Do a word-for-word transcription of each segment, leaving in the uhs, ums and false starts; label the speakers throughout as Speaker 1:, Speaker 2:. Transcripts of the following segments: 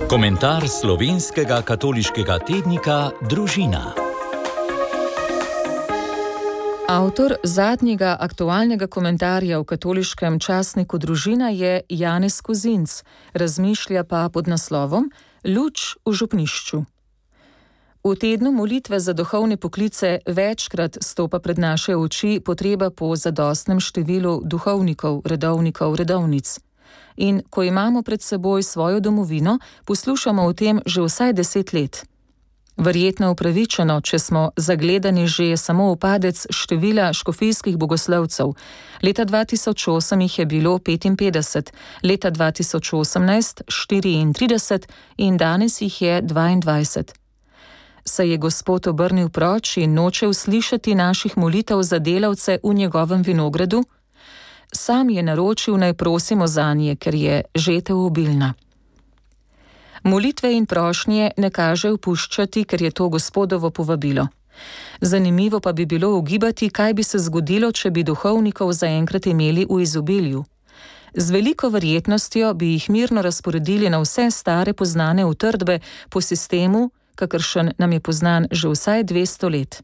Speaker 1: Komentar slovenskega katoliškega tednika Družina. Avtor zadnjega aktualnega komentarja v katoliškem časniku Družina je Janez Kozinc, razmišlja pa pod naslovom Luč v župnišču. V tednu molitve za duhovne poklice večkrat stopa pred naše oči potreba po zadostnem številu duhovnikov, redovnikov, redovnic. In ko imamo pred seboj svojo domovino, poslušamo o tem že vsaj deset let. Verjetno upravičeno, če smo zagledani že samo v padec števila škofijskih bogoslovcev. Leta dva tisoč osem jih je bilo petinpetdeset, leta dva tisoč osemnajst štiriintrideset in danes jih je dvaindvajset. Se je Gospod obrnil proč in noče uslišati naših molitev za delavce v njegovem vinogradu? Sam je naročil, naj prosimo zanje, ker je žetev obilna. Molitve in prošnje ne kaže opuščati, ker je to Gospodovo povabilo. Zanimivo pa bi bilo ugibati, kaj bi se zgodilo, če bi duhovnikov zaenkrat imeli v izobilju. Z veliko verjetnostjo bi jih mirno razporedili na vse stare poznane utrdbe po sistemu, kakršen nam je poznan že vsaj dvesto let.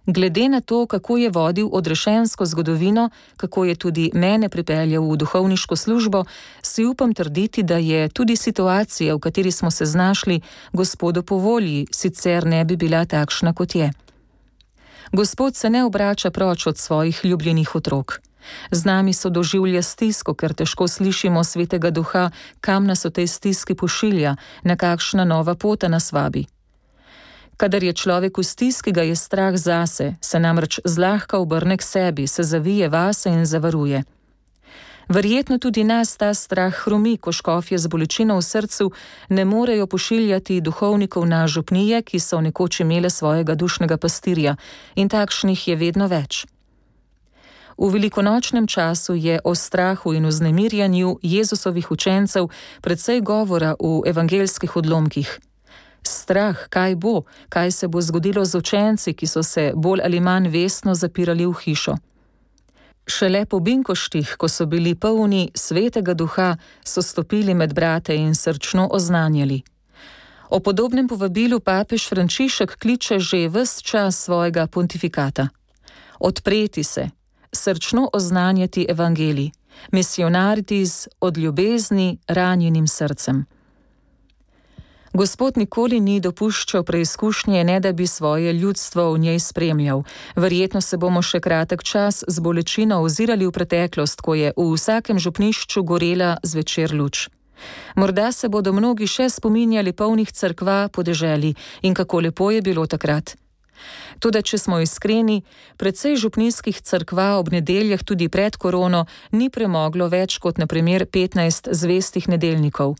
Speaker 1: Glede na to, kako je vodil odrešensko zgodovino, kako je tudi mene pripeljal v duhovniško službo, si upam trditi, da je tudi situacija, v kateri smo se znašli, Gospodu po volji, sicer ne bi bila takšna, kot je. Gospod se ne obrača proč od svojih ljubljenih otrok. Z nami so doživlja stisko, ker težko slišimo Svetega Duha, kam nas v tej stiski pošilja, na kakšna nova pota nas vabi. Kadar je človek v stiski, ga je strah zase, se namreč zlahka obrne k sebi, se zavije vase in zavaruje. Verjetno tudi nas ta strah hromi, ko škofje z bolečino v srcu ne morejo pošiljati duhovnikov na župnije, ki so nekoč imele svojega dušnega pastirja, in takšnih je vedno več. V velikonočnem času je o strahu in vznemirjanju Jezusovih učencev precej govora v evangeljskih odlomkih. Strah, kaj bo, kaj se bo zgodilo z učenci, ki so se bolj ali manj vestno zapirali v hišo. Šele po binkoštih, ko so bili polni Svetega Duha, so stopili med brate in srčno oznanjali. O podobnem povabilu papež Frančišek kliče že ves čas svojega pontifikata. Odpreti se, srčno oznanjati evangelij, misionariti z od ljubezni ranjenim srcem. Gospod nikoli ni dopuščal preizkušnje, ne da bi svoje ljudstvo v njej spremljal. Verjetno se bomo še kratek čas z bolečino ozirali v preteklost, ko je v vsakem župnišču gorela zvečer luč. Morda se bodo mnogi še spominjali polnih cerkva po deželi in kako lepo je bilo takrat. Toda, če smo iskreni, precej župnijskih cerkva ob nedeljah tudi pred korono ni premoglo več kot na primer petnajst zvestih nedeljnikov.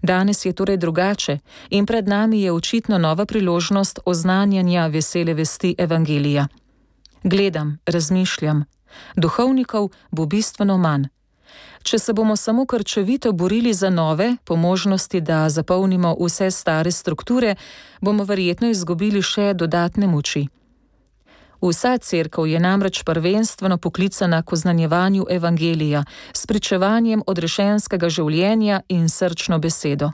Speaker 1: Danes je torej drugače in pred nami je očitno nova priložnost oznanjanja vesele vesti evangelija. Gledam, razmišljam. Duhovnikov bo bistveno manj. Če se bomo samo krčevito borili za nove, po možnosti, da zapolnimo vse stare strukture, bomo verjetno izgubili še dodatne moči. Vsa cerkev je namreč prvenstveno poklicana k oznanjevanju evangelija, s pričevanjem odrešenskega življenja in srčno besedo.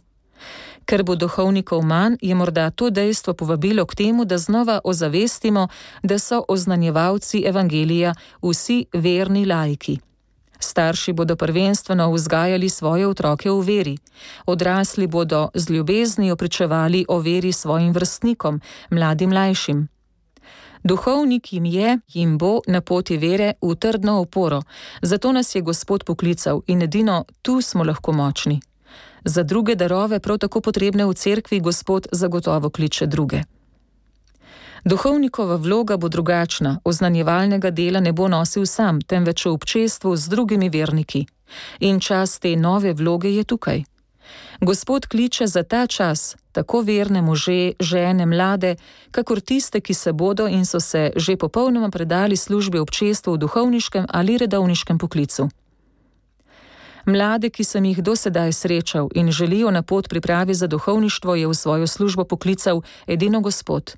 Speaker 1: Ker bo duhovnikov manj, je morda to dejstvo povabilo k temu, da znova ozavestimo, da so oznanjevalci evangelija vsi verni laiki. Starši bodo prvenstveno vzgajali svoje otroke v veri. Odrasli bodo z ljubeznijo pričevali o veri svojim vrstnikom, mladim mlajšim. Duhovnik jim je, jim bo na poti vere v trdno oporo, zato nas je Gospod poklical in edino tu smo lahko močni. Za druge darove, prav tako potrebne v cerkvi, Gospod zagotovo kliče druge. Duhovnikova vloga bo drugačna, oznanjevalnega dela ne bo nosil sam, temveč v občestvu z drugimi verniki. In čas te nove vloge je tukaj. Gospod kliče za ta čas tako verne može, žene, mlade, kakor tiste, ki se bodo in so se že popolnoma predali službi občestvu v duhovniškem ali redovniškem poklicu. Mlade, ki sem jih do sedaj srečal in želijo na pot pripravi za duhovništvo, je v svojo službo poklical edino Gospod.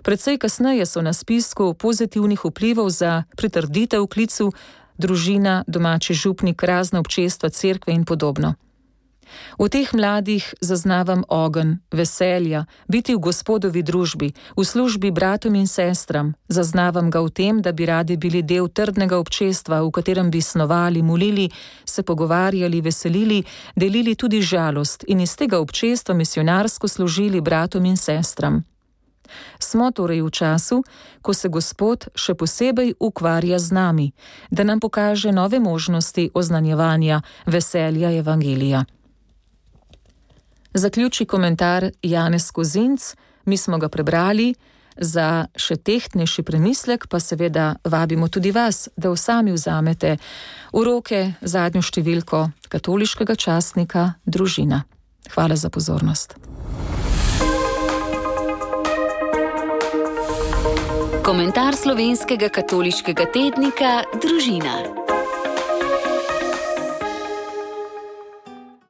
Speaker 1: Precej kasneje so na spisku pozitivnih vplivov za pritrditev klicu družina, domači župnik, razna občestva, cerkve in podobno. V teh mladih zaznavam ogenj, veselja, biti v Gospodovi družbi, v službi bratom in sestram. Zaznavam ga v tem, da bi radi bili del trdnega občestva, v katerem bi snovali, molili, se pogovarjali, veselili, delili tudi žalost in iz tega občestva misionarsko služili bratom in sestram. Smo torej v času, ko se Gospod še posebej ukvarja z nami, da nam pokaže nove možnosti oznanjevanja veselja evangelija. Zaključi komentar Janez Kozinc, mi smo ga prebrali, za še tehtnejši premislek pa seveda vabimo tudi vas, da sami vzamete v roke zadnjo številko katoliškega časnika Družina. Hvala za pozornost.
Speaker 2: Komentar slovenskega katoliškega tednika Družina.